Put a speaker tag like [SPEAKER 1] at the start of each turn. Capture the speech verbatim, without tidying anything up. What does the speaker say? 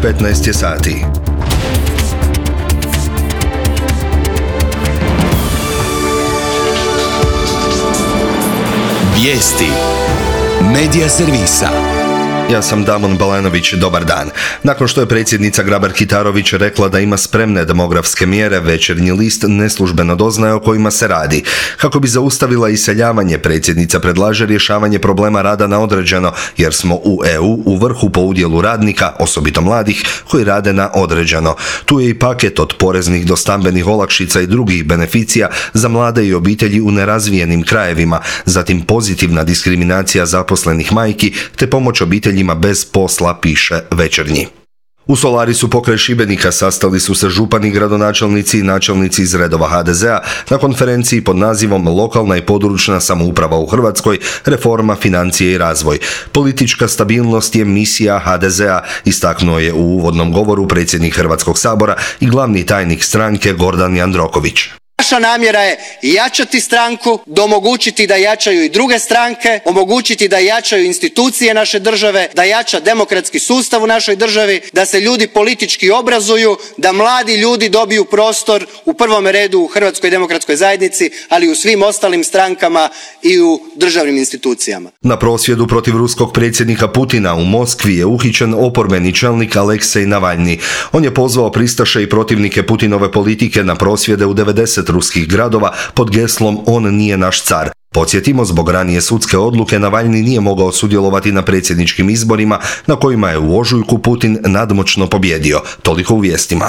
[SPEAKER 1] petnaest je sati.
[SPEAKER 2] Vijesti Medija servisa.
[SPEAKER 1] Ja sam Damon Balanović, dobar dan. Nakon što je predsjednica Grabar-Kitarović rekla da ima spremne demografske mjere, Večernji list neslužbeno doznaje o kojima se radi. Kako bi zaustavila iseljavanje, predsjednica predlaže rješavanje problema rada na određeno, jer smo u E U u vrhu po udjelu radnika, osobito mladih, koji rade na određeno. Tu je i paket od poreznih do stambenih olakšica i drugih beneficija za mlade i obitelji u nerazvijenim krajevima, zatim pozitivna diskriminacija zaposlenih majki, te pomoć obitelji bez posla, piše Večernji. U Solarisu pokraj Šibenika sastali su se župani, gradonačelnici i načelnici iz redova ha de zea na konferenciji pod nazivom Lokalna i područna samouprava u Hrvatskoj, reforma, financije i razvoj. Politička stabilnost je misija ha de zea, istaknuo je u uvodnom govoru predsjednik Hrvatskog sabora i glavni tajnik stranke Gordan Jandroković.
[SPEAKER 3] Naša namjera je jačati stranku, omogućiti da jačaju i druge stranke, omogućiti da jačaju institucije naše države, da jača demokratski sustav u našoj državi, da se ljudi politički obrazuju, da mladi ljudi dobiju prostor u prvom redu u Hrvatskoj demokratskoj zajednici, ali i u svim ostalim strankama i u državnim institucijama.
[SPEAKER 1] Na prosvjedu protiv ruskog predsjednika Putina u Moskvi je uhićen oporbeni čelnik Aleksej Navalni. On je pozvao pristaše i protivnike Putinove politike na prosvjede u devedeset ruskih gradova pod geslom "On nije naš car". Podsjetimo, zbog ranije sudske odluke Navalni nije mogao sudjelovati na predsjedničkim izborima na kojima je u ožujku Putin nadmoćno pobjedio. Toliko u vijestima.